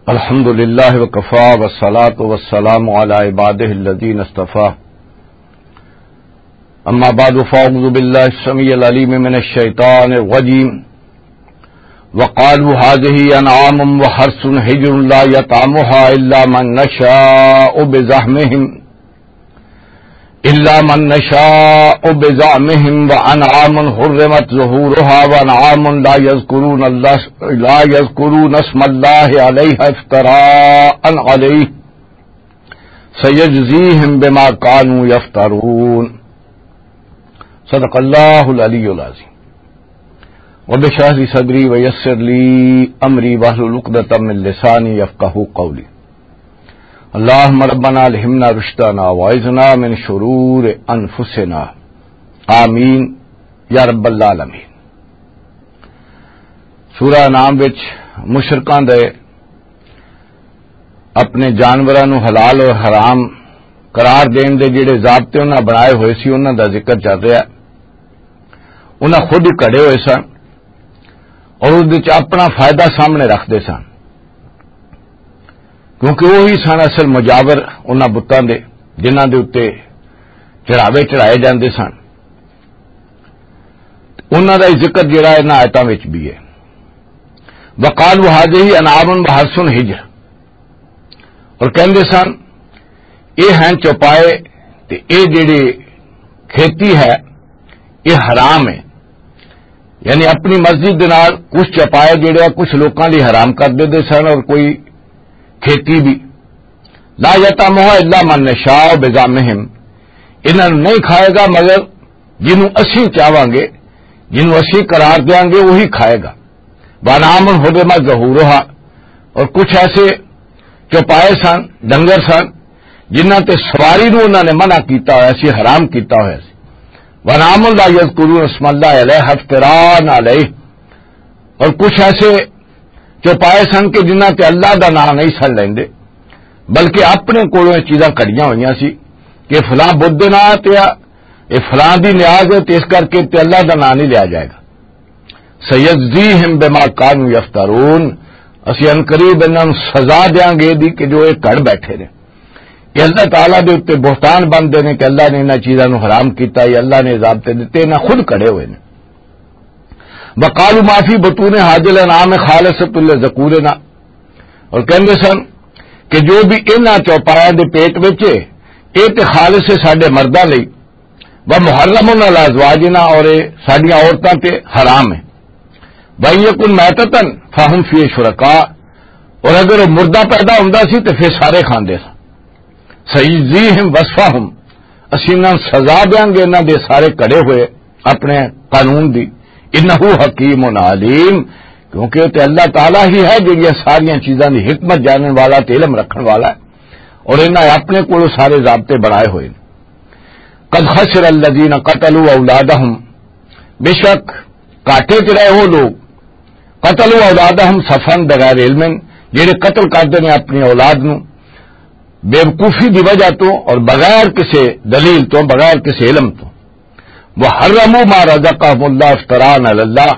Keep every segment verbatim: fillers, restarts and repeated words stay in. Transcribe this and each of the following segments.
الحمد لله وكفى والصلاة والسلام على عباده الذين اصطفى. أما بعد، فأعوذ بالله السميع العليم من الشيطان الرجيم. وقالوا هذه أنعام وحرث حجر لا يطعمها إلا من نشاء بزعمهم، إلا من نشاء بزعمهم وأنعام حرمت ظهورها وأنعام لا يذكرون الله، لا يذكرون اسم الله عليها افتراء عليه سيجزيهم بما كانوا يفترون. صدق الله العلي العظيم. رب اشرح لي صدري ويسر لي أمري واحلل عقدة من لساني يفقهوا قولي. اللهم ربنا ألهمنا رشدنا وأعذنا من شرور أنفسنا. آمين يا رب العالمين. سورہ انعام وچ مشرکاں دے اپنے جانوراں نوں حلال اور حرام قرار دین دے جڑے ضابطے انہاں بنائے ہوئے سی، انہاں دا ذکر چل رہا ہے۔ انہاں خود ہی کھڑے ہوئے سن اور اس وچ اپنا فائدہ سامنے رکھدے سن، کیونکہ وہی سن اصل مجاور انہاں بتاں دے، جنہاں دے اُتے چڑھاوے چڑھائے جاندے سن۔ انہاں دا ہی ذکر جڑا ہے انہاں آیتاں وچ بھی ہے۔ وقالوا هذه أنعام وحرث حجر، اور کہندے سن، یہ ہیں چوپائے تے یہ جڑی کھیتی ہے، یہ حرام ہے۔ یعنی اپنی مرضی دے نال کچھ چوپائے جڑے آ کچھ لوکاں لئی حرام کر دیندے سن اور کوئی کھیتی بھی۔ لا يطعمها إلا من نشاء بزعمهم، انہاں نوں نہیں کھائے گا مگر جنوں اسی چاہواں گے، جنوں اسی قرار دیاں گے، وہی کھائے گا۔ وأنعام حرمت ظهورها، اور کچھ ایسے چوپائے سن، ڈنگر سن، جنہاں تے سواری نوں انہاں نے منع کیتا ہویا سی، حرام کیتا ہویا سی۔ وأنعام لا يذكرون اسم الله عليها افتراء عليه، اور کچھ ایسے چوپائے سن کہ جنہاں تے اللہ دا نام نہیں سن لیندے، بلکہ اپنے کولوں یہ چیزاں کڑیاں ہوئیاں سی کہ فلاں بت دے نام تے آ، یہ فلاں دی نیاز ہے تے اس کر کے تے اللہ دا نام نہیں لیا جائے گا۔ سیجزیہم بما کانوا یفترون، اسی ان قریب انہاں نوں سزا دیاں گے دی کہ جو یہ کڑ بیٹھے نے۔ یہ اللہ تعالیٰ دے اُتے بہتان بندے نے کہ اللہ نے انہاں چیزاں نوں حرام کیتا، یہ اللہ نے ضابطے دتے، انہاں خود کڑے ہوئے نے۔ وقالوا ما فی بطون هذه الانعام خالصۃ لذکورنا، اور کہندے سن کہ جو بھی انہاں چوپایاں دے پیٹ وچ ہے، اے تے خالص ہے ساڈے مرداں لئی، ومحرم علی ازواجنا، اور اے ساڈیاں عورتاں تے حرام ہے، وان یکن میتۃ فہم فیہ شرکاء، اور اگر وہ مردہ پیدا ہوندا سی تے پھر سارے کھاندے سن۔ سیجزیہم وصفہم، اسی انہاں نوں سزا دیاں گے انہاں دے سارے کڑے ہوئے اپنے قانون دی۔ انہ حکیم علیم، کیونکہ تے اللہ تعالیٰ ہی ہے جڑیاں ساریاں چیزاں دی حکمت جانن والا تے علم رکھن والا ہے، اور انہاں اپنے کولوں سارے ضابطے بنائے ہوئے نے۔ قد خسر الذین قتلوا اولادہم، بے شک گھاٹے چ رہے وہ لوگ، قتلوا اولادہم سفہا بغیر علم، جڑے قتل کردے نے اپنی اولاد نوں بے وقوفی دی وجہ تو اور بغیر کسی دلیل تو، بغیر کسی علم تو۔ وحرموا ما رزقہم اللہ افتراء علی اللہ،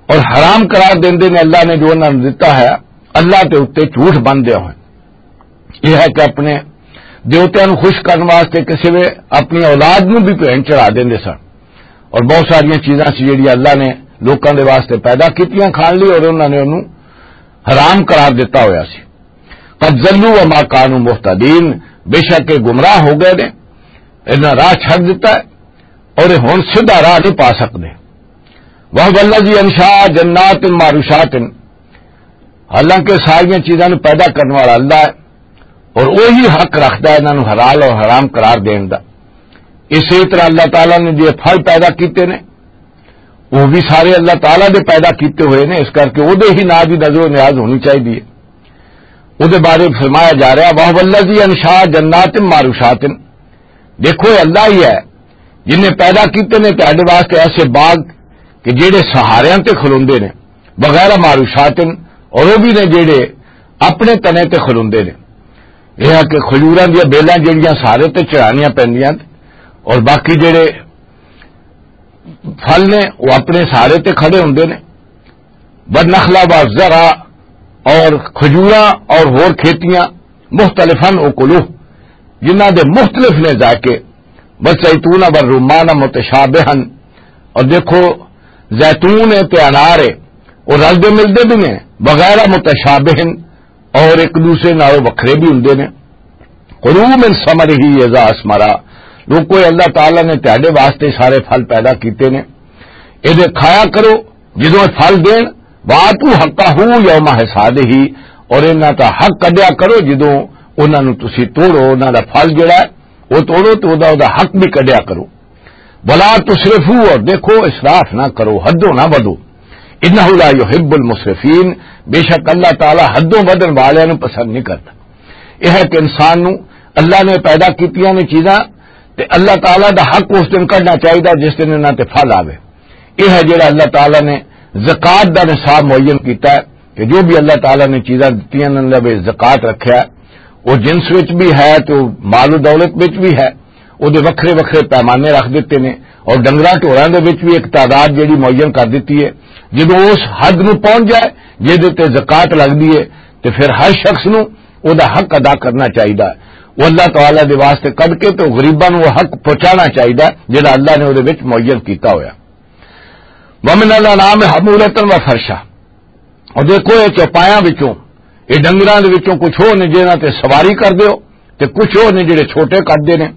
اور حرام قرار دیندے نے اللہ نے جو انہاں نوں دتا ہے، اللہ دے اُتے جھوٹ باندھدے ہوئے۔ یہ ہے کہ اپنے دیوتیاں نوں خوش کرن واسطے کسی وے اپنی اولاد نوں بھی بھین چڑھا دیندے سن، اور بہت ساریاں چیزاں سی جڑیاں اللہ نے لوکاں دے واسطے پیدا کیتیاں کھان لئی، اور انہاں نے انہوں حرام قرار دتا ہویا سی۔ قد ضلوا وما کانوا مہتدین، بے شک یہ گمراہ ہو گئے نے، انہاں راہ چھڈ دتا ہے اور یہ ہن سیدھا راہ نہیں پا سکدے۔ وہو الذی انشاء جنات معروشات، حالانکہ ساریاں چیزاں نوں پیدا کرن والا اللہ ہے، اور وہی حق رکھدا ہے انہاں نوں حلال اور حرام قرار دین دا۔ اسی طرح اللہ تعالیٰ نے جو پھل پیدا کیتے نے، وہ بھی سارے اللہ تعالیٰ دے پیدا کیتے ہوئے نے، اس کرکے وہ دے ہی ناں دی نظر و نیاز ہونی چاہیے۔ وہ دے بارے فرمایا جا رہا، وہو الذی انشاء جنات معروشات، دیکھو، یہ اللہ ہی ہے جن نے پیدا کیتے نے تہاڈے واسطے ایسے باغ کہ جڑے سہاریاں تے کھلوندے نے، وغیرہ معروشات، اور وہ بھی نے جڑے اپنے تنے تے کھلوندے نے۔ یہ ہے کہ کھجوراں دیاں بیلاں جڑیاں سہارے تے چڑھانیاں پیندیاں، اور باقی جڑے پھل نے وہ اپنے سہارے تے کھڑے ہوندے نے۔ والنخل والزرع، اور کھجوراں اور ہور کھیتیاں، مختلفاً اکلوہ، جنہاں دے مختلف نے ذائقے، والزیتون والرمان متشابہاً، اور دیکھو، زیتون ہے تے انار ہے، وہ رلدے ملدے بھی نے، وغیرہ متشابہاً، اور ایک دوسرے نال وکھرے بھی ہوندے نے۔ کلوا من ثمرہ اذا اثمر، لوکو، اللہ تعالیٰ نے تہاڈے واسطے سارے پھل پیدا کیتے نے، اے دے کھایا کرو جدوں اے پھل دین، وآتوا حقہ یوم حصادہ، اور انہاں دا حق کڈیا کرو جدوں انہاں نوں تسی توڑو، انہاں دا پھل جڑا ہے، او توڑو تے او دا، او دا حق بھی کڈیا کرو۔ ولا تسرفوا، اور دیکھو، اسراف نہ کرو، حدوں نہ ودو۔ انہ لا یحب المسرفین، بے شک اللہ تعالیٰ حدوں ودن والیاں نوں پسند نہیں کرتا۔ یہ ہے کہ انسان نوں اللہ نے پیدا کیتیاں نے چیزاں، تے اللہ تعالیٰ دا حق اس دن کڈنا چاہیے جس دن انہاں تے پھل آوے۔ یہ ہے جڑا اللہ تعالیٰ نے زکوٰۃ دا نصاب معین کیتا ہے کہ جو بھی اللہ تعالیٰ نے چیزاں دتیاں نے، اللہ نے زکوٰۃ رکھیا ہے، وہ جنس وچ بھی ہے تے وہ مال و دولت وچ بھی ہے، وہ دے وکھرے وکھرے پیمانے رکھ دتے نے، اور ڈنگراں ٹوراں دے وچ بھی ایک تعداد جڑی معین کر دتی ہے۔ جدوں اس حد نوں پہنچ جائے جہدے تے زکوٰۃ لگدی ہے، تے پھر ہر شخص نوں او دا حق ادا کرنا چاہیدا ہے۔ وہ اللہ تعالیٰ دے واسطے کڈ کے تے غریباں نوں وہ حق پہنچانا چاہیدا ہے جڑا اللہ نے او دے وچ معین کیتا ہویا۔ ومن الانعام حمولۃ و فرشا، اور دیکھو، یہ چوپایاں وچوں، یہ ڈنگراں دے وچوں کچھ ہو نے جنہاں تے سواری کر دیو، تے کچھ ہو نے جڑے چھوٹے کر دے نے۔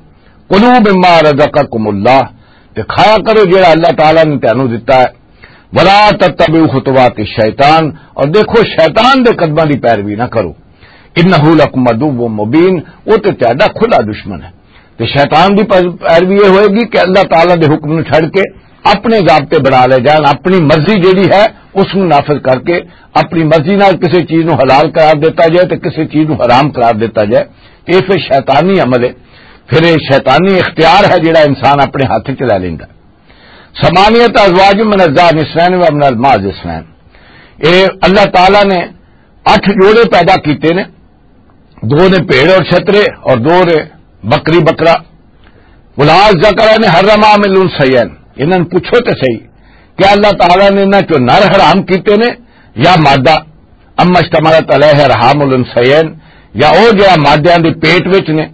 کلوا مما رزقکم اللہ، تے کھایا کرو جڑا اللہ تعالیٰ نے تانوں دتا ہے۔ ولا تتبعوا خطوات الشیطان، اور دیکھو، شیطان دے قدماں دی پیروی نہ کرو۔ انہ لکم عدو مبین، وہ تے تہاڈا کھلا دشمن ہے۔ تے شیطان دی پر-، پیروی یہ ہوئے گی کہ اللہ تعالیٰ دے حکم نوں چھڈ کے اپنے ضابطے بنا لے جان، اپنی مرضی جیڑی ہے اس نوں نافذ کر کے، اپنی مرضی نال کسی چیز نوں حلال قرار دیتا جائے تے کسی چیز نوں حرام قرار دیتا جائے، تے یہ پھر شیطانی عمل ہے، پھر یہ شیطانی اختیار ہے جیڑا انسان اپنے ہاتھ وچ لے لیندا۔ ثمانیۃ ازواج من الذکرین و من المعز اثنین، اے اللہ تعالیٰ نے اٹھ جوڑے پیدا کیتے نے، دو نے بھیڑ اور چھترے اور دو نے بکری بکرا۔ قل الذکرین حرم ام الانثیین، انہاں نوں پوچھو تے صحیح، کیا اللہ تعالیٰ نے انہاں چوں نر حرام کیتے نے یا مادہ؟ اما اشتملت علیہ ارحام الانثیین، یا او جڑا مادیاں دے پیٹ وچ نے؟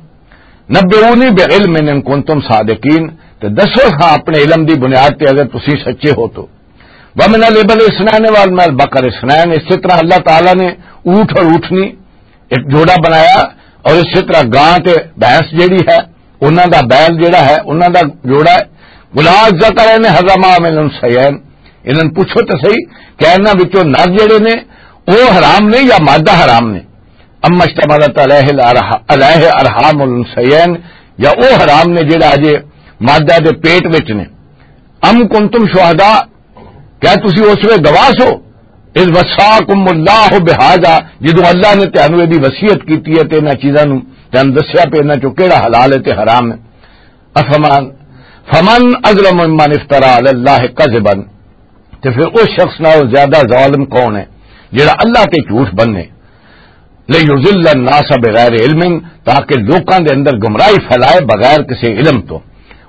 نبئونی بعلم ان کنتم صادقین، تے دسو ہاں اپنے علم دی بنیاد تے اگر تسی سچے ہو تو۔ ومن الابل اثنین ومن البقر اثنین، اسی طرح اللہ تعالیٰ نے اونٹ اور اونٹنی ایک جوڑا بنایا، اور اسی طرح گاں تے بھینس جیڑی ہے، انہاں دا بیل جیڑا ہے، انہاں دا جوڑا ہے۔ قل الذکرین حرم ام الانثیین، انہاں نوں پوچھو تے صحیح کہ انہاں وچوں نر جیڑے نے، او حرام نے یا مادہ حرام نے؟ اما اشتملت علیہ الارح-، علیہ ارحام الانثیین، یا او حرام نے جیڑا اجے مادہ دے پیٹ وچ نے؟ ام کنتم شہداء، کیا تسی اس ویلے گواہ سو؟ اذ وصاکم اللہ بہذا، جدوں اللہ نے تانوں ایہدی وصیت کیتی ہے تے انہاں چیزاں نوں تانوں دسیا پے انہاں چوں کیڑا حلال ہے تے حرام ہے۔ افمن، فمن اظلم ممن افترى علی اللہ کذبا، تے پھر اس شخص نال زیادہ ظالم کون ہے جڑا اللہ تے جھوٹ بننے؟ لیضل الناس بغیر علم، تاکہ لوکاں دے اندر گمراہی پھیلائے بغیر کسی علم تو۔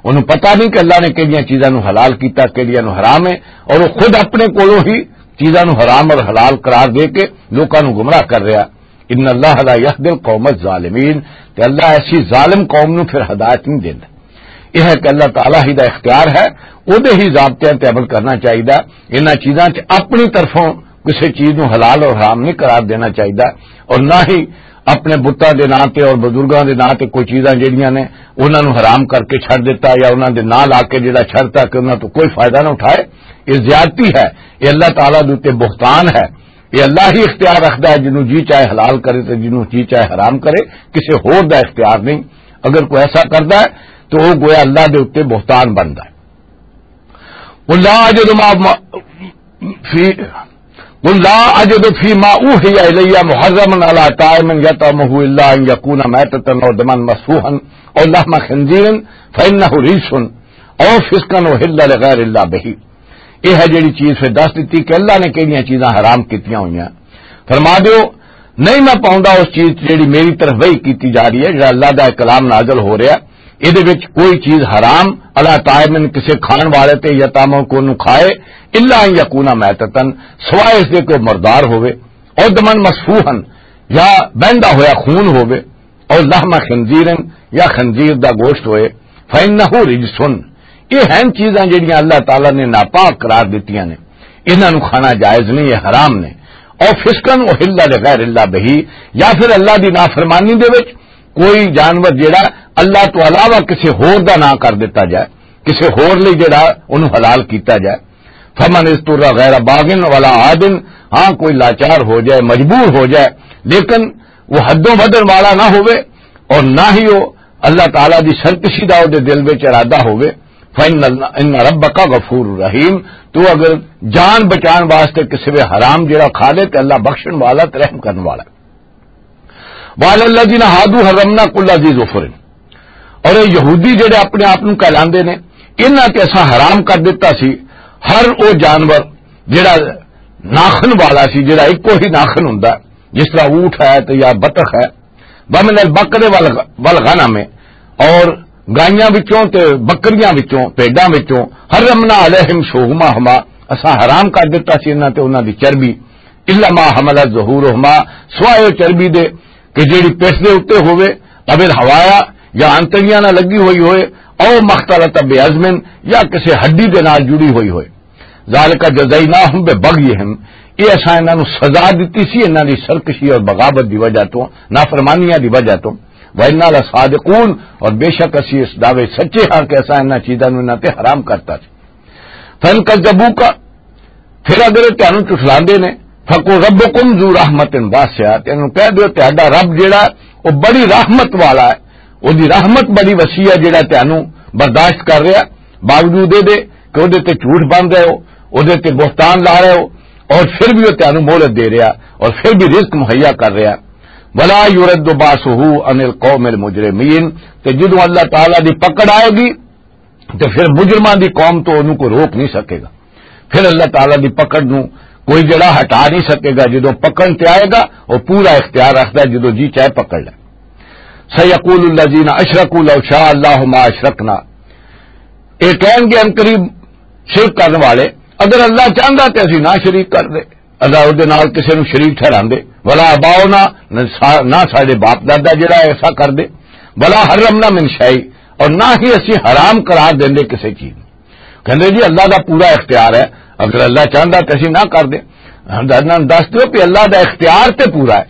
انہوں پتہ نہیں کہ اللہ نے کہڑیاں چیزاں نوں حلال کیتا، کہڑیاں نوں حرام ہے، اور وہ خود اپنے کولوں ہی چیزاں نوں حرام اور حلال قرار دے کے لوکاں نوں گمراہ کر رہا۔ ان اللہ لا یہدی القوم الظالمین، تے اللہ ایسی ظالم قوم نوں پھر ہدایت نہیں دیندا۔ یہ ہے کہ اللہ تعالیٰ ہی دا اختیار ہے، اودے ہی ضابطیاں تے عمل کرنا چاہیدا۔ انہاں چیزاں چ اپنی طرفوں کسی چیز نوں حلال اور حرام نہیں قرار دینا چاہیدا، اور نہ ہی اپنے بتاں دے ناں تے اور بزرگاں دے ناں تے کوئی چیزاں جڑیاں نے انہاں نوں حرام کر کے چھڈ دتا یا انہاں دے ناں لا کے جڑا چھڈتا کہ انہاں تو کوئی فائدہ نہ اٹھائے۔ یہ زیادتی ہے، یہ اللہ تعالیٰ دے اُتے بہتان ہے۔ یہ اللہ ہی اختیار رکھدا ہے، جنوں جی چاہے حلال کرے تے جنوں جی چاہے حرام کرے، کسے ہور دا اختیار نہیں۔ اگر کوئی ایسا کردا ہے تو وہ گویا اللہ دے اُتے بہتان بندا ہے۔ قل لا اجد ما، ما، فی، قل لا اجد فیما اوحی الی محرما علی طاعم یطعمہ الا ان یکون میتۃ او دما مسفوحا او لحم خنزیر فانہ رجس او فسقا اہل لغیر اللہ بہ۔ یہ ہے جڑی چیز پھر دس دتی کہ اللہ نے کہڑیاں چیزاں حرام کیتیاں ہوئیاں۔ فرما دیو، نہیں میں پاؤندا اس چیز تے جڑی میری طرف وحی کیتی جا رہی ہے، جڑا اللہ دا کلام نازل ہو رہا ہے، اے دے وچ کوئی چیز حرام، اللہ تعالیٰ نے کسے کھان والے تے یا تاموں کو نو کھائے، الا ان یکونا میتتن، سوائے اس دے کہ وہ مردار ہوئے، او دمن مصفوحن، یا بہندا ہویا خون ہووے، او لحم خنزیرن، یا خنزیر دا گوشت ہوئے، فإنه رجس۔ یہ ہیں چیزاں جڑیاں اللہ تعالیٰ نے ناپاک قرار دتیاں نے، انہاں نوں کھانا جائز نہیں، یہ حرام نے۔ او فسقن احل لغیر اللہ بہی، یا پھر اللہ دی نافرمانی دے وچ کوئی جانور جڑا اللہ تو علاوہ کسی ہور دا نام کر دیتا جائے، کسی ہور لئی جڑا انہوں حلال کیتا جائے۔ فمن اضطر غیر باغن ولا عادن، ہاں کوئی لاچار ہو جائے، مجبور ہو جائے، لیکن وہ حدوں ودن والا نہ ہوئے اور نہ ہی وہ اللہ تعالیٰ دی سرکشی دا دے دل وچ ارادہ ہوئے، فإن اللہ، ان ربک غفور رحیم، تو اگر جان بچان واسطے کسی وے حرام جڑا کھا لے تے اللہ بخشن والا تے رحم کرن والا ہے۔ وعلی الذین ہادوا حرمنا کل ذی ظفر، اور یہ یہودی جڑے اپنے آپ نوں کہلاندے نے، انہاں تے اساں حرام کر دتا سی ہر او جانور جڑا ناخن والا سی، جڑا اکو ہی ناخن ہوندا، جس طرح اونٹ ہے تے یا بطخ ہے، ومن البقر والغ-، والغنم، اور گائیاں وچوں تے بکریاں وچوں، بھیڈاں وچوں، حرمنا علیہم شحومہما، اساں حرام کر دتا سی انہاں تے انہاں دی چربی، الا ما حملت ظہورہما، سوائے او چربی دے کہ جیڑی پس دے اُتے ہووے، او الحوایا، یا آنتڑیاں نال لگی ہوئی ہوئے، او مختلط بعظم، یا کسے ہڈی دے نال جڑی ہوئی ہوئے۔ ذالک جزیناہم ببغیہم، یہ اساں انہاں نوں سزا دتی سی انہاں دی سرکشی اور بغاوت دی وجہ تو، نافرمانیاں دی وجہ تو۔ وَإِنَّا لَصَادِقُونَ، اور بے شک اسی اس دعوے سچے ہاں کہ اساں انہاں چیزاں نوں انہاں تے حرام کرتا سی۔ فَإِنْ كَذَّبُوكَ، پھر اگر یہ تانوں جھٹلاندے نے، فَقُلْ رَبُّكُمْ ذُو رَحْمَةٍ وَاسِعَةٍ، تینوں کہہ دیو تہاڈا رب جیڑا، وہ بڑی رحمت والا ہے، وہ دی رحمت بڑی وسیع ہے، جیڑا تانوں برداشت کر رہا، باوجود اے دے کہ اودے تے جھوٹ بن رہے ہو، اودے تے بہتان لا رہے ہو، اور پھر بھی وہ تانوں مہلت دے رہا اور پھر بھی رزق مہیا کر رہا۔ ولا یرد باسہ عن القوم المجرمین، تے جدوں اللہ تعالیٰ دی پکڑ آئے گی تے پھر مجرماں دی قوم تو انہوں کو روک نہیں سکے گا۔ پھر اللہ تعالیٰ دی پکڑ نو کوئی جڑا ہٹا نہیں سکے گا۔ جدوں پکڑ تے آئے گا، وہ پورا اختیار رکھدا ہے، جدوں جی چاہے پکڑ لے۔ سیقول الذین اشرکوا لو شاء اللہ ما اشرکنا، یہ کہیں گے ان قریب شرک کرنے والے، اگر اللہ چاہتا تے اسی نہ شریک کر دے، اللہ دے نال کسے نو شریک ٹھہراندے، ولا آباؤنا، نہ سا-، نہ ساڈے باپ دادا جڑا ایسا کر دے، ولا حرمنا من شیء، اور نہ ہی اسی حرام قرار دیندے کسے چیز نو۔ کہندے جی اللہ دا پورا اختیار ہے، اگر اللہ چاہتا تے اسی نہ کر دے۔ ہم انہاں نوں دس دیو کہ اللہ دا اختیار تے پورا ہے،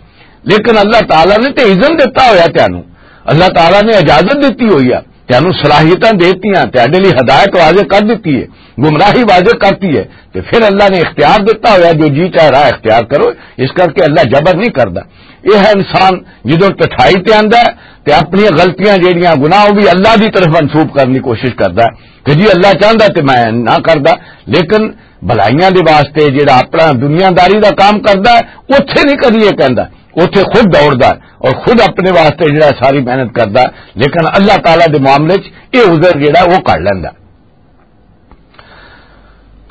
لیکن اللہ تعالیٰ نے تے اذن دیتا ہویا تینوں، اللہ تعالیٰ نے اجازت دیتی ہوئی ہے، تینوں صلاحیتاں دیتیاں، تیرے لیے ہدایت واضح کر دیتی ہے، گمراہی واضح کرتی ہے، تے پھر اللہ نے اختیار دیتا ہویا جو جی چاہے راہ اختیار کرو، اس کر کے اللہ جبر نہیں کردا۔ یہ ہے انسان جدوں ٹٹھائی تے آندا ہے تے اپنی غلطیاں جیڑیاں گناہ وہ بھی اللہ دی طرف منسوب کرنے کی کوشش کردا ہے کہ جی اللہ چاہندا تے میں نہ کردا، لیکن بھلائیاں دے واسطے جڑا اپنا دنیا داری دا کام کردا ہے، اوتھے نہیں کدی یہ کہندا، اوتھے خود دوڑدا ہے اور خود اپنے واسطے جڑا ساری محنت کردا ہے، لیکن اللہ تعالیٰ دے معاملے چ یہ عذر جڑا وہ کر لیندا۔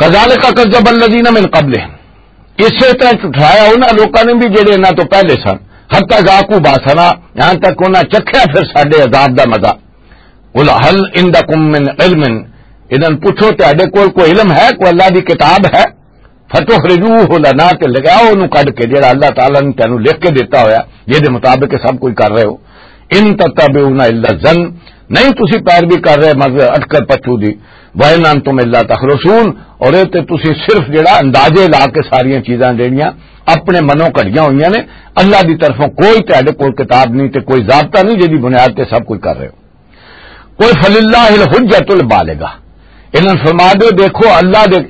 کذالک کذب الذین من قبلہم، اسی طرح جھٹلایا انہاں لوکاں نے بھی جڑے انہاں تو پہلے سن، حتی ذاقوا باسنا، یہاں تک انہاں چکھیا پھر ساڈے عذاب دا مزہ۔ قل هل عندکم من علم، انہاں پوچھو تہاڈے کول کوئی علم ہے، کوئی اللہ دی کتاب ہے؟ فتخرجوه لنا، تے لگاؤ انہوں کڈ کے جڑا اللہ تعالیٰ نے تینوں لکھ کے دیتا ہویا، جے دے مطابق یہ سب کچھ کر رہے ہو۔ ان تتبعون الا الظن، نہیں تسی پیروی کر رہے مگر اٹکر پچھو دی۔ وان انتم الا تخرصون، اور یہ تے تسی صرف جڑا اندازے لا کے ساریاں چیزاں جڑیاں اپنے منوں کڈیاں ہوئیاں نے، اللہ دی طرفوں کوئی تہاڈے کول کتاب نہیں تے کوئی ضابطہ نہیں جے دی بنیاد تے سب کچھ کر رہے ہو۔ قل فللہ الحجۃ البالغہ، انہاں نوں فرما دیو، دیکھو اللہ دے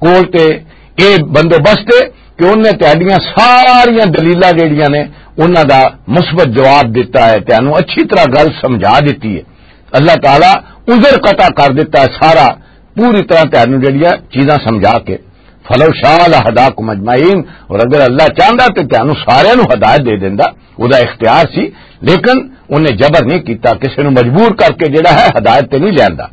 کول تے اے بندوبست ہے کہ انہیں تہاڈیاں ساریاں دلیلاں جیڑیاں نے انہاں دا مثبت جواب دتا ہے، تینوں اچھی طرح گل سمجھا دتی ہے۔ اللہ تعالیٰ عذر قطع کر دتا ہے سارا، پوری طرح تینوں جیڑیاں چیزاں سمجھا کے۔ فلو شاء لہداکم اجمعین، اور اگر اللہ چاہندا تے تینوں سارے نوں ہدایت دے دیندا، او دا اختیار سی، لیکن انہیں جبر نہیں کیتا، کسے نوں مجبور کر کے جڑا ہے ہدایت تے نہیں لیندا۔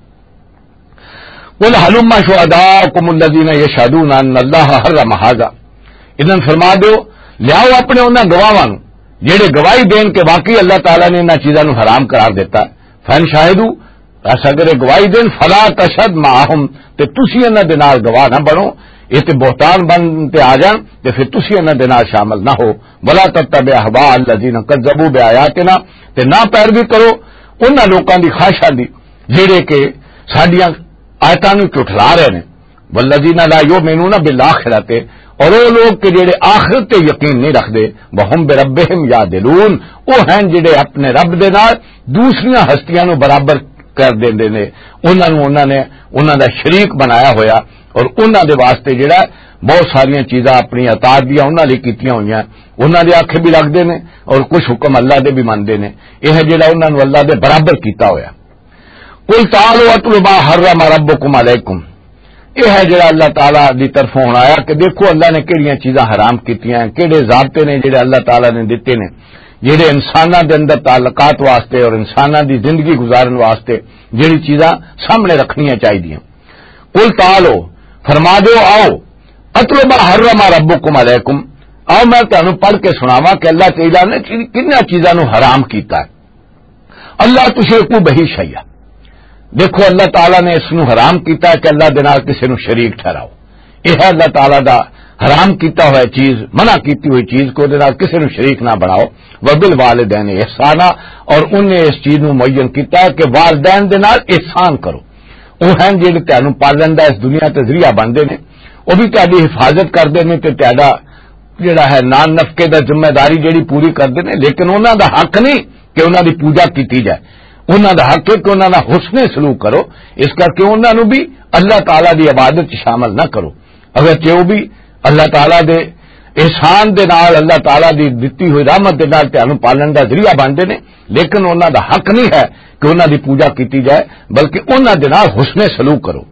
قل هلم شهداءکم الذین یشهدون ان اللہ حرم هذا، انہاں نوں فرما دیو، لیاؤ اپنے انہاں گواہاں نوں جڑے گواہی دین کہ واقعی اللہ تعالیٰ نے انہاں چیزاں نوں حرام قرار دیتا ہے۔ فان شاہدوا، بس اگر یہ گواہی دین، فلا تشہد معہم، تے تسی انہاں دے نال گواہ نہ بنو، یہ تے بہتان بن تے آ جان، تے پھر تسی انہاں دے نال شامل نہ ہو۔ ولا تتبع اہواء الذین کذبوا بآیاتنا، تے نہ پیروی کرو انہاں لوکاں دی خواہشاں دی، جڑے کہ ساڈیاں آیتاں نوں جھٹلا رہے نے۔ والذین لا یؤمنون بالآخرۃ، اور وہ لوگ کہ جڑے آخرت تے یقین نہیں رکھدے، وہم بربہم یعدلون، وہ ہیں جڑے اپنے رب دے نال دوسریاں ہستیاں نوں برابر کر دیندے نے، انہاں نوں، انہاں نے، انہاں دا شریک بنایا ہویا، اور انہاں دے واسطے جڑا بہت ساریاں چیزاں اپنی اطاعت دیاں انہاں لئی کیتیاں ہوئیاں، انہاں دے آکھے بھی لگدے نے، اور کچھ حکم اللہ دے بھی مندے نے۔ یہ ہے جڑا انہاں نوں اللہ دے برابر کیتا ہویا۔ قل تعالوا اتل ما حرم ربکم علیکم، یہ ہے جڑا اللہ تعالیٰ دی طرفوں ہن آیا کہ دیکھو اللہ نے کہڑیاں چیزاں حرام کیتیاں ہیں، کہڑے ضابطے نے جڑے اللہ تعالیٰ نے دتے نے، جڑے انساناں دے اندر تعلقات واسطے اور انساناں دی زندگی گزارن واسطے جڑی چیزاں سامنے رکھنیاں چاہیدیاں۔ قل تعالوا، فرما دیو، آؤ، اتل ما حرم ربکم علیکم، آؤ میں تانوں پڑھ کے سناواں کہ اللہ تعالیٰ نے کن-، کناں چیزاں نوں حرام کیتا ہے۔ اللہ تشرکوا بہ شیئا۔ دیکھو، اللہ تعالیٰ نے اس نو حرام کیتا ہے کہ اللہ دے نال کسے نو شریک ٹھہراؤ۔ یہ ہے اللہ تعالیٰ دا حرام کیتا ہوا چیز، منع کیتی ہوئی چیز کو دے نال کسے نو شریک نہ بناؤ۔ وبالوالدین احسانا، اور انہیں اس چیز نو معین کیتا ہے کہ والدین دے نال احسان کرو۔ وہ ہیں جڑے تانوں پالن دا اس دنیا تے ذریعہ بندے نے، وہ بھی تہاڈی حفاظت کردے نے تے تہاڈا جڑا ہے نان نفقے دا ذمہ داری جڑی پوری کردے نے، لیکن انہاں دا حق نہیں کہ انہاں دی پوجا کیتی جائے۔ انہاں دا حق ہے کہ انہاں دا حسن سلوک کرو، اس کر کے انہاں نوں بھی اللہ تعالیٰ دی عبادت چ شامل نہ کرو۔ اگرچہ وہ بھی اللہ تعالیٰ دے احسان دے نال، اللہ تعالیٰ دی دتی ہوئی رحمت دے نال تانوں پالن دا ذریعہ بنتے نے، لیکن انہاں دا حق نہیں ہے کہ انہاں دی پوجا کیتی جائے، بلکہ انہاں دے نال حسن سلوک کرو۔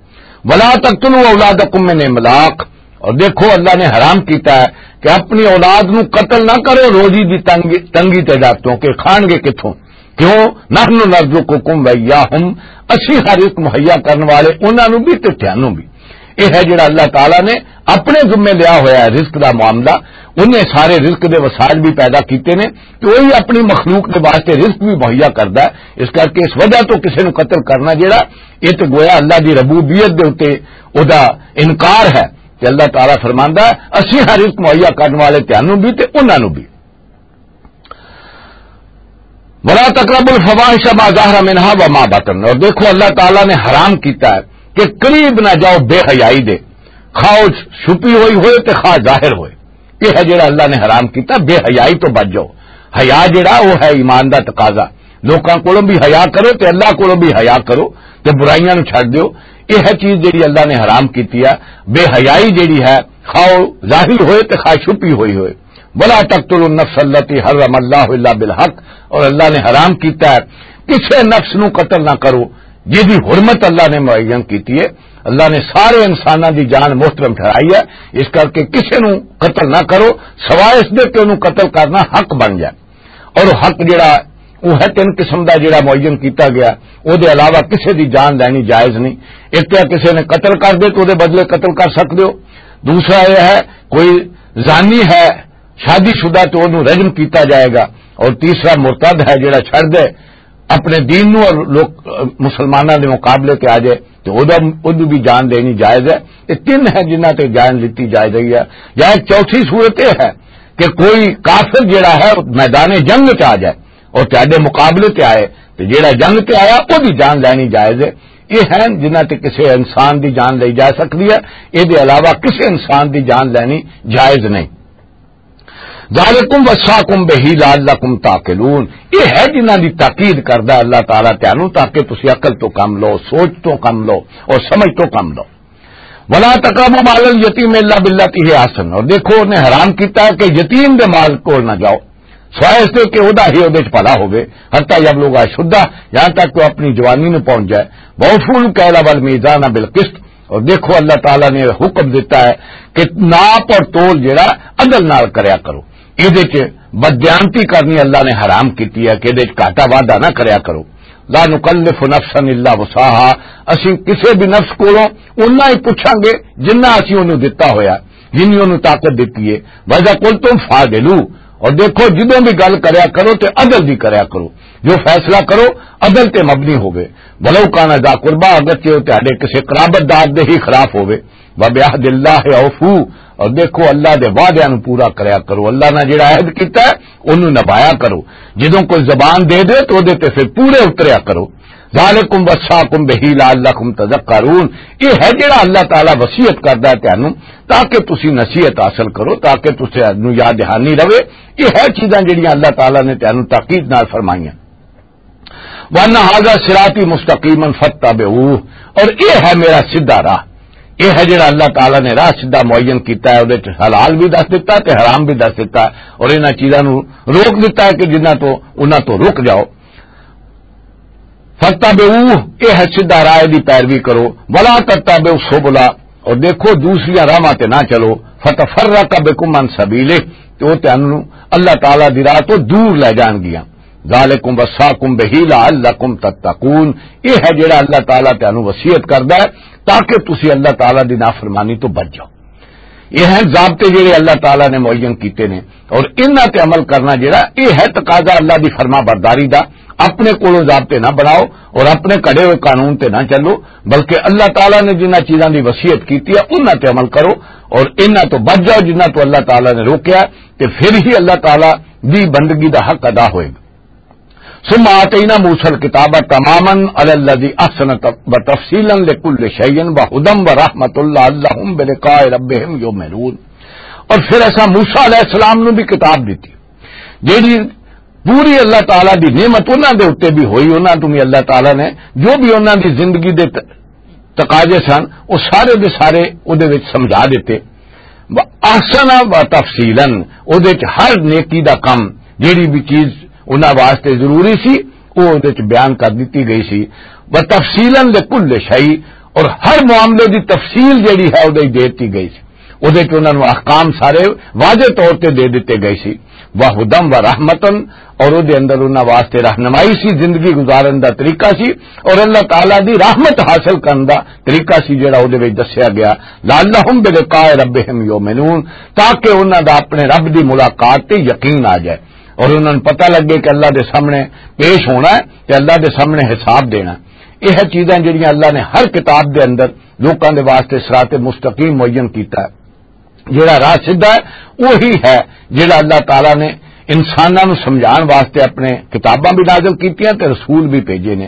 ولا تقتلوا اولادکم من املاق، اور دیکھو اللہ نے حرام کیتا ہے کہ اپنی اولاد نو قتل نہ کرو روزی دی تنگی، تنگی تے ڈر، کیونکہ کھان گے کتھوں؟ کیوں؟ نحن نرزقکم و ایاہم، اسی ہر رزق مہیا کرن والے انہاں نو بھی تے تھانوں بھی۔ یہ ہے جڑا اللہ تعالیٰ نے اپنے ذمے لیا ہویا ہے رزق دا معاملہ۔ انہیں سارے رزق دے وسائل بھی پیدا کیتے نے، تو وہی اپنی مخلوق دے واسطے رزق بھی مہیا کردا ہے۔ اس کر کے اس وجہ تو کسے نو قتل کرنا جڑا، یہ تو گویا اللہ دی ربوبیت دے اُتے او دا انکار ہے۔ کہ اللہ تعالیٰ فرماندا ہے، اسی ہر رزق مہیا کرن والے تانوں بھی تے انہاں نوں بھی۔ ولا تقربوا الفواحش ما ظهر منها وما بطن، اور دیکھو اللہ تعالیٰ نے حرام کیتا ہے کہ قریب نہ جاؤ بے حیائی دے، خواہ او چھپی ہوئی ہوئے تے خواہ ظاہر ہوئے۔ یہ ہے جڑا اللہ نے حرام کیتا، بے حیائی تو بچ جاؤ۔ حیا جڑا وہ ہے ایمان دا تقاضا، لوکاں کولوں بھی حیا کرو تے اللہ کولوں بھی حیا کرو تے برائیاں نوں چھڈ دیو۔ یہ ہے چیز جڑی اللہ نے حرام کیتی ہے، بے حیائی جڑی ہے، خواہ ظاہر ہوئے تے خواہ چھپی ہوئی ہوئے۔ ولا تقتلوا النفس التي حرم الله الا بالحق، اور اللہ نے حرام کیتا ہے کسے نفس نو قتل نہ کرو جس دی حرمت اللہ نے معین کیتی ہے۔ اللہ نے سارے انساناں دی جان محترم ٹھہرائی ہے، اس کر کے کسے نو قتل نہ کرو سوائے اس دے کہ انہوں قتل کرنا حق بن جائے۔ اور حق جڑا وہ ہے تین قسم دا جڑا معین کیتا گیا، او دے علاوہ کسے دی جان لینی جائز نہیں۔ ایک تو کسے نے قتل کر دے تو او دے بدلے قتل کر سکدے ہو۔ دوسرا یہ ہے کوئی زانی ہے شادی شدہ تو انہوں رجم کیتا جائے گا۔ اور تیسرا مرتد ہے جڑا چھڑ دے اپنے دین نو اور لوک مسلماناں دے مقابلے تے آ جائے تو او دا، او دی بھی جان لینی جائز ہے۔ یہ تین ہے جنہاں تے جان لیتی جائے گئی ہے۔ یا ایک چوتھی صورت یہ ہے کہ کوئی کافر جڑا ہے میدان جنگ تے آ جائے اور تہاڈے مقابلے تے آئے، تے جڑا جنگ تے آیا او دی جان لینی جائز ہے۔ یہ ہیں جنہاں تے کسے انسان دی جان لئی جا سکدی ہے، اے دے علاوہ کسے انسان دی جان لینی جائز نہیں۔ ذالکم وصاکم بہ لعلکم تعقلون، یہ ہے جنہاں دی تاکید کردا ہے اللہ تعالیٰ تانوں، تاکہ تسی عقل تو کم لو، سوچ تو کم لو اور سمجھ تو کم لو۔ ولا تقربوا مال الیتیم الا بالتی ہی احسن، اور دیکھو انہیں حرام کیتا ہے کہ یتیم دے مال کول نہ جاؤ سوائے اس دے کہ او دا ہی او دے چ بھلا ہوے، حتی یبلغ اشدہ، یہاں تک کہ وہ اپنی جوانی میں پہنچ جائے۔ وَأَوْفُوا الْكَيْلَ وَالْمِيزَانَ بِالْقِسْطِ، اور دیکھو اللہ تعالیٰ نے حکم دیتا ہے کہ ناپ اور تول جڑا عدل نال کریا کرو۔ اے دے چ بددیانتی کرنی اللہ نے حرام کیتی ہے کہ اے دے چ گھاٹا وعدہ نہ کریا کرو۔ لا نکلف نفسا الا وسعها، اسیں کسے بھی نفس کولوں اُنہاں ہی پچھاں گے جنہ اسیں اونوں دتا ہویا، جنی اونوں طاقت دتی ہے۔ وَإِذَا قُلْتُمْ فَاعْدِلُوا، اور دیکھو جدوں بھی گل کریا کرو تے عدل دی کریا کرو۔ جو فیصلہ کرو، عدل تے مبنی ہووے۔ ولو کان ذا قربا، اگرچہ وہ تہاڈے کسے قرابت دار دے ہی خلاف ہووے۔ وبعہد اللہ اوفو، اور دیکھو، اللہ دے وعدیاں نو پورا کریا کرو، اللہ نے جڑا عہد کیتا ہے، اونوں نبھایا کرو۔ جدوں کوئی زبان دے دے تو اودے تے پھر پورے اتریا کرو۔ ذالکم وصاکم بہ لعلکم تذکرون، یہ ہے جڑا اللہ تعالیٰ وصیت کردا ہے تانوں، تاکہ تسی نصیحت حاصل کرو، تاکہ تسی نو یاد دہانی رہے۔ یہ ہے چیزاں جڑیاں اللہ تعالیٰ نے تانوں تاکید نال فرمائیاں۔ وَأَنَّ هَذَا صِرَاطِي مُسْتَقِيمًا فَاتَّبِعُوهُ، اور یہ ہے میرا سیدھا راہ۔ یہ ہے جڑا اللہ تعالیٰ نے راہ سیدھا معین کیتا ہے، اودے وچ حلال بھی دس دیتا ہے تے حرام بھی دس دیتا ہے، اور انہاں چیزاں نو روک دیتا ہے کہ جنہاں تو، انہاں تو رک جاؤ۔ فَاتَّبِعُوهُ، یہ ہے سیدھا راہ، دی پیروی کرو۔ وَلَا تَتَّبِعُوا السُّبُلَ، اور دیکھو، دوسریاں راہاں تے نہ چلو۔ فَتَفَرَّقَ بِكُمْ عَنْ سَبِيلِهِ، تے وہ تانوں اللہ تعالیٰ دی راہ تو دور لے جان گیاں۔ ذالکم وصاکم بہ لعلکم تتقون، یہ ہے جڑا اللہ تعالیٰ تانوں وصیت کردا ہے تاکہ تسی اللہ تعالیٰ دی نافرمانی تو بچ جاؤ۔ یہ ہیں ضابطے جڑے اللہ تعالیٰ نے معین کیتے نے، اور انہاں تے عمل کرنا جڑا، یہ ہے تقاضا اللہ دی فرما برداری دا۔ اپنے کولوں ضابطے نہ بناؤ اور اپنے کڑے ہوئے قانون تے نہ چلو، بلکہ اللہ تعالیٰ نے جنہاں چیزاں دی وصیت کیتی ہے، انہاں تے عمل کرو، اور انہاں تو بچ جاؤ جنہاں تو اللہ تعالیٰ نے روکیا، تے پھر ہی اللہ تعالیٰ دی بندگی دا حق ادا ہوئے گا۔ ثم آتینا موسی الکتاب تماما علی الذی احسن و تفصیلا لکل شیء و ہدی و رحمۃ لعلہم بلقاء ربہم یؤمنون۔ اور پھر ایسا موسی علیہ السلام نو بھی کتاب دیتی، جیڑی پوری اللہ تعالیٰ دی نعمت انہاں دے اُتے بھی ہوئی، انہاں تو بھی اللہ تعالیٰ نے جو بھی انہاں دی زندگی دے ت-، تقاضے سن، وہ سارے دے سارے اودے وچ سمجھا دیتے۔ و احسن و تفصیلا، اودے وچ ہر نیکی دا کم، جیڑی بھی چیز انہاں واسطے ضروری سی، وہ اودے وچ بیان کر دتی گئی سی۔ و تفصیلا لکل شیء، اور ہر معاملے دی تفصیل جیڑی ہے، اودے وچ دے دتی گئی سی۔ اودے وچ انہاں نوں احکام سارے واضح طور تے دے دتے گئے سی۔ وہدم و رحمتن، اور اودے اندر انہاں واسطے رہنمائی سی، زندگی گزارن دا طریقہ سی، اور اللہ تعالیٰ دی رحمت حاصل کرن دا طریقہ سی، جڑا اودے وچ دسیا گیا۔ لعلہم بلقاء ربہم یؤمنون، تاکہ انہاں دا اپنے رب دی ملاقات تے یقین آ جائے اور انہاں نوں پتہ لگے کہ اللہ دے سامنے پیش ہونا ہے تے اللہ دے سامنے حساب دینا ہے۔ یہ چیزاں جڑیاں اللہ نے ہر کتاب دے اندر لوکاں دے واسطے صراط مستقیم معین کیتا ہے۔ جڑا راہ سیدھا ہے، وہی ہے جڑا اللہ تعالیٰ نے انساناں نوں سمجھان واسطے اپنے کتاباں بھی نازل کیتیاں تے رسول بھی بھیجے نے۔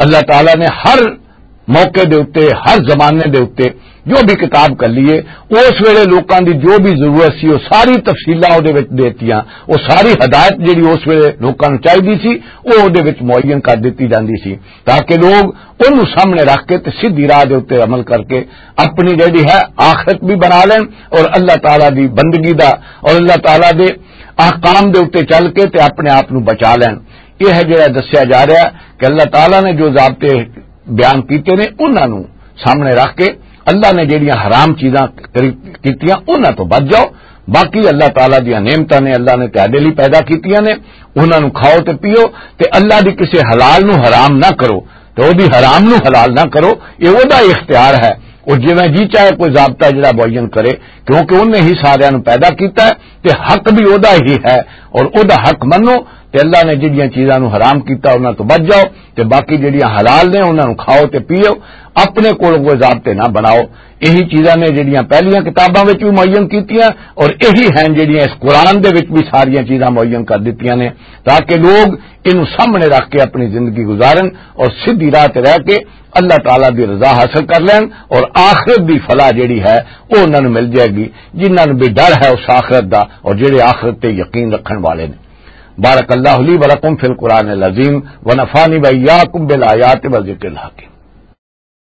اللہ تعالیٰ نے ہر موقع دے اُتے، ہر زمانے دے اُتے جو بھی کتاب کر لیے، اس ویلے لوکاں دی جو بھی ضرورت سی، وہ ساری تفصیلاں اودے وچ دیتیاں، وہ ساری ہدایت جڑی اس ویلے لوکاں نوں چاہیدی سی، وہ اودے وچ معین کر دتی جاندی سی، تاکہ لوگ انہوں سامنے رکھ کے تے سیدھی راہ دے اُتے عمل کر کے اپنی جڑی ہے آخرت بھی بنا لین اور اللہ تعالیٰ دی بندگی دا اور اللہ تعالیٰ دے احکام دے اُتے چل کے تے اپنے آپ نوں بچا لین۔ یہ ہے جڑا دسیا جا رہا ہے کہ اللہ تعالیٰ نے جو ضابطے بیان کیتے نے، انہاں نوں سامنے رکھ کے اللہ نے جڑیاں حرام چیزاں کری-، کیتیاں، انہاں تو بچ جاؤ۔ باقی اللہ تعالیٰ دیاں نعمتاں نے، اللہ نے تہاڈے لئی پیدا کیتیاں نے، انہاں نوں کھاؤ تے پیو، تے اللہ دی کسے حلال نوں حرام نہ کرو، تے او دی حرام نوں حلال نہ کرو۔ یہ او دا اختیار ہے، او جویں جی چاہے کوئی ضابطہ جڑا معین کرے، کیونکہ انہیں ہی ساریاں نوں پیدا کیتا ہے، تے حق بھی او دا ہی ہے، اور او دا حق منو۔ تے اللہ نے جڑیاں چیزاں نوں حرام کیتا، انہاں تو بچ جاؤ، تے باقی جڑیاں حلال نے، انہاں نوں کھاؤ تے پیو۔ اپنے کول کوئی ضابطے نہ بناؤ۔ یہی چیزاں نے جڑیاں پہلیاں کتاباں وچ بھی معین کیتیاں، اور یہی ہیں جڑیاں اس قرآن دے وچ بھی ساریاں چیزاں معین کر دتیاں نے، تاکہ لوگ انہوں سامنے رکھ کے اپنی زندگی گزارن اور سیدھی راہ تے رہ کے اللہ تعالیٰ دی رضا حاصل کر لین، اور آخرت دی فلاح جڑی ہے، وہ انہاں نوں مل جائے گی۔ جنہاں نوں بھی ڈر ہے اس آخرت دا، اور جڑے آخرت تے یقین رکھن والے نے۔ بارک اللہ لی و لکم فی القرآن العظیم، و نفعنی و ایاکم بالآیات و ذکر الحکیم۔